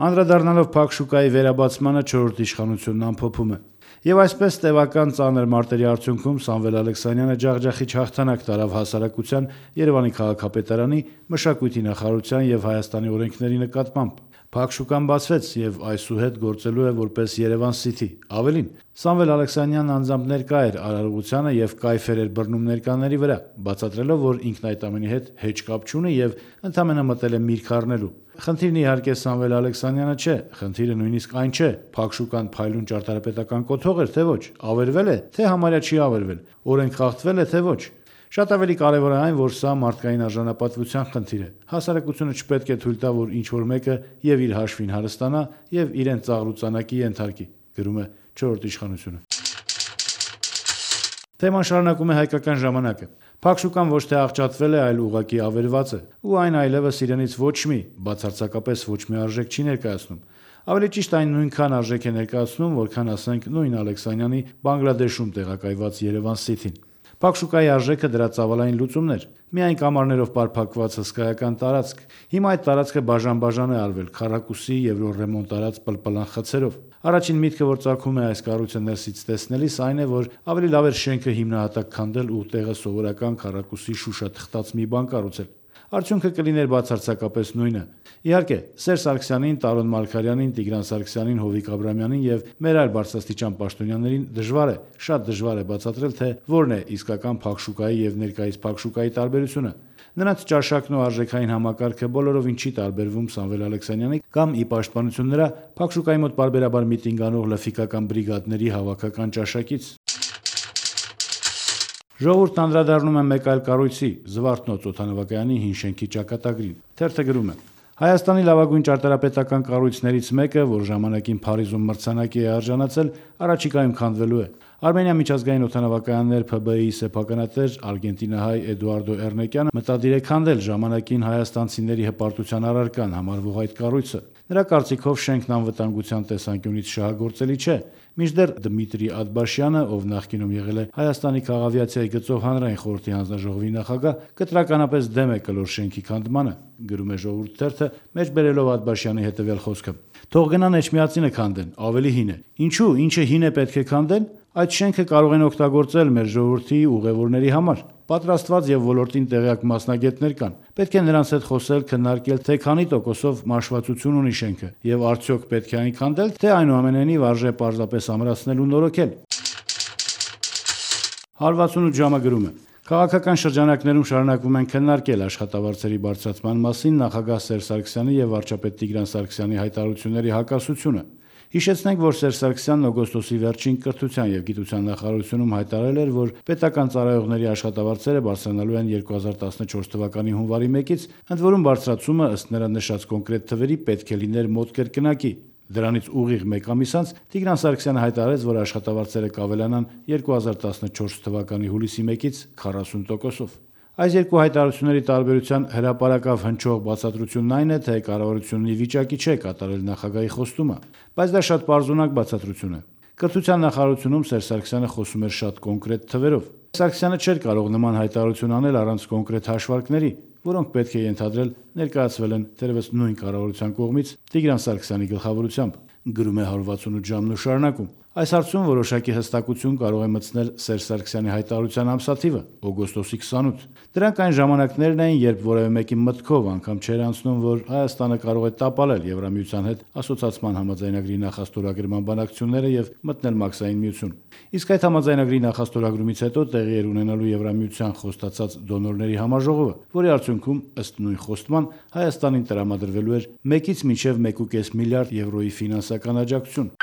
Անդրադառնալով Փակ շուկայի վերաբացմանը 4-րդ իշխանությունն ամփոփում է. «Եվ այսպես տևական ծանր մարտերի արդյունքում Սամվել Ալեքսանյանը ջախջախիչ հաղթանակ տարավ հասարակության, Երևանի քաղաքապետարանի, մշակույթի նախարարության եւ Հայաստանի օրենքների նկատմամբ։ Փակ շուկան բացվեց եւ այսուհետ գործելու է որպես Երևան Սիթի։ Ավելին, Սամվել Ալեքսանյանն անձամբ ներկա էր արարողությանը եւ կայֆեր էր բռնում ներկաների վրա, բացատրելով, որ ինքն այդ ամենի հետ հեչ կապ չունի եւ ընդամենը մտել է միրգ առնելու։ Խնդիրն իհարկե Սամվել Ալեքսանյանը չէ, խնդիրը նույնիսկ այն չէ, Փակ շուկան փայլուն ճարտարապետական կոթող էր, թե ոչ, ավերվել է, թե համարյա չի ավերվել, օրենք խախտվել է, թե ոչ։ Շատ ավելի կարևոր է այն, որ սա մարդկային արժանապատվության խնդիր է։ Հասարակությունը չպետք է թույլ տա, որ ինչ-որ մեկը եւ իր հաշվին հարստանա եւ իրեն ծաղրուծանակի ենթարկի», գրում է 4-րդ իշխանությունը։ Թեման շարունակում է Հայկական ժամանակը. «Փակ շուկան ոչ թե աղճատվել է, այլ ուղղակի ավերված է, ու այն այլևս իրենից ոչ մի, բացարձակապես ոչ մի արժեք չի ներկայացնում։ Ավելի ճիշտ այն նույնքան արժեք է ներկայացնում, որքան ասենք նույն Ալեքսանյանի Բանգլադեշում տեղակայված Երևան Սիթին։ Փակ շուկայի արժեքը դրա ծավալային լուծումն էր, միայն կամարներով պարփակված հսկայական տարածք։ Հիմա այդ տարածքը բաժան-բաժան է արվել քառակուսի եվրոռեմոնտ արած պլպլան խցերով։ Առաջին միտքը, որ ծագում է այս կառույցը ներսից տեսնելիս, այն է, որ ավելի լավ էր շենքը հիմնահատակ քանդել ու տեղը սովորական քառակուսի շուշաթղթած մի բան կառուցել։ Արդյունքը կլիներ բացարձակապես նույնը։ Իհարկե, Սերժ Սարգսյանին, Տարոն Մարգարյանին, Տիգրան Սարգսյանին, Հովիկ Աբրահամյանին եւ մեր այլ բարձրաստիճան պաշտոնյաներին շատ դժվար է բացատրել, թե որն է իսկական Փակ շուկայի եւ ներկայիս Փակ շուկայի տարբերությունը։ Նրանց ճաշակն ու արժեքային համակարգը բոլորովին չի տարբերվում Սամվել Ալեքսանյանի կամ ի պաշտպանություն նրա Փակ շուկայի մոտ պարբերաբար միտինգ անող լֆիկական բրիգադների հավաքական ճաշակից։ Ժողովուրդն անդրադառնում է մեկ այլ կառույցի՝ Զվարթնոց օդանավակայանի հին շենքի ճակատագրին։ Թերթը գրում է. «Հայաստանի լավագույն ճարտարապետական կառույցներից մեկը, որ ժամանակին Փարիզում մրցանակի է արժանացել, առաջիկայում քանդվելու է։ Արմենիա միջազգային օդանավակայաններ ՓԲ-ի սեփականատեր արգենտինահայ Էդուարդո Էրնեկյանը մտադիր է քանդել ժամանակին հայաստանցիների հպարտության առարկան համարվող այդ կառույցը։ Նրա կարծիքով շենքն անվտանգության տեսանկյունից շահագործելի չէ, մինչդեռ Դմիտրի Աթբաշյանը, ով նախկինում եղել է Հայաստանի քաղավիացիայի գծով հանրային խորհրդի հանձնաժողովի նախագահ, կտրականապես դեմ է կլոր շենքի քանդմանը», գրում է Ժողովուրդ թերթը, մեջբերելով Աթբաշյանի հետևյալ խոսքը. «Թող գնան Էջմիածինը քանդեն, ավելի հին է։ Ինչու, ինչը հին է պետք է քանդեն։ Այդ շենքը կարող են օգտագործել մեր ժողովրդի ուղևորների համար։ Պատրաստված եւ ոլորտին տեղյակ մասնագետներ կան։ Պետք է նրանց հետ խոսել, քննարկել, թե քանի տոկոսով մաշվածություն ունի շենքը եւ արդյոք պետք է այն քանդել, թե այնուամենայնիվ արժե պարզապես ամրացնել ու նորոգել»։ 168 ժամը գրում է. «Քաղաքական շրջանակներում շարունակվում են քննարկել աշխատավարձերի բարձրացման մասին նախագահ Սերժ Սարգսյանի եւ վարչապետ Տիգրան Սարգսյանի հայտարարությունների հակասությունը։ Հիշեցնենք, որ Սերժ Սարգսյանն օգոստոսի վերջին Կրթության եւ գիտության նախարարությունում հայտարարել էր, որ պետական ծառայողների աշխատավարձերը բարձրանալու են 2014 թվականի հունվարի 1-ից, ընդ որում բարձրացումը ըստ նրա նշած կոնկրետ թվերի պետք է լիներ մոտ կրկնակի։ Դրանից ուղիղ մեկ ամիս անց Տիգրան Սարգսյանը հայտարարեց, որ աշխատավարձերը կավելանան 2014 թվականի հուլիսի 1-ից 40%-ով։ Այս երկու հայտարարությունների տարբերության հրապարակավ հնչող բացատրությունն այն է, թե կառավարությունն ի վիճակի չէ կատարել նախագահի խոստումը, բայց դա շատ պարզունակ բացատրություն է։ Կրթության նախարարությունում Սերժ Սարգսյանը խոսում էր շատ կոնկրետ թվերով։ Սարգսյանը չէր կարող նման հայտարարություն անել առանց կոնկրետ հաշվարկների, որոնք պետք է ենթադրել ներկայացվել են թերևս նույն կառավարության կողմից Տիգրան Սարգսյանի գլխավորությամբ, գրում է 168 ժամն ու շարունակում. «Այս հարցում որոշակի հստակություն կարող է մտցնել Սերժ Սարգսյանի հայտարարության ամսաթիվը՝ օգոստոսի 28։ Դրանք այն ժամանակներն էին, երբ որևէ մեկի մտքով անգամ չէր անցնում, որ Հայաստանը կարող է տապալել Եվրամիության հետ ասոցիացման համաձայնագրի նախաստորագրման բանակցությունները եւ մտնել Մաքսային միություն։ Իսկ այդ համաձայնագրի նախաստորագրումից հետո տեղի էր ունենալու Եվրամիության խոստացած դոնորների համաժողովը, որի արդյունքում, ըստ նույն խոստման, Հայաստանին տրամադրվելու էր 1-ից մինչև 1.5 միլիարդ եվրոյի ֆինանսական աջակցություն։